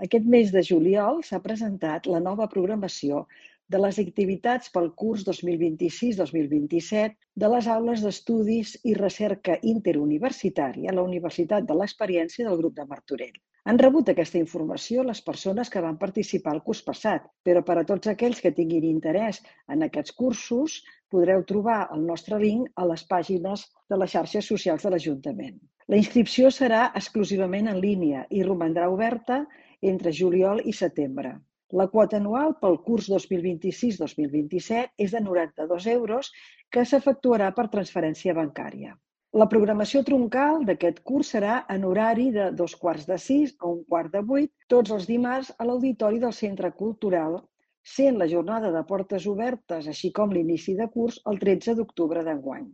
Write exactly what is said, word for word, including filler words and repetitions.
Aquest mes de juliol s'ha presentat la nova programació de les activitats pel curs dos mil vint-i-sis dos mil vint-i-set de les aules d'estudis i recerca interuniversitària a la Universitat de l'Experiència del grup de Martorell. Han rebut aquesta informació les persones que van participar el curs passat, però per a tots aquells que tinguin interès en aquests cursos podreu trobar el nostre link a les pàgines de les xarxes socials de l'Ajuntament. La inscripció serà exclusivament en línia i romandrà oberta entre juliol i setembre. La quota anual pel curs dos mil vint-i-sis dos mil vint-i-set és de noranta-dos euros que s'efectuarà per transferència bancària. La programació troncal d'aquest curs serà en horari de dos quarts de sis a un quart de vuit, tots els dimarts a l'auditori del Centre Cultural, sent la jornada de portes obertes, així com l'inici de curs, el tretze d'octubre d'enguany.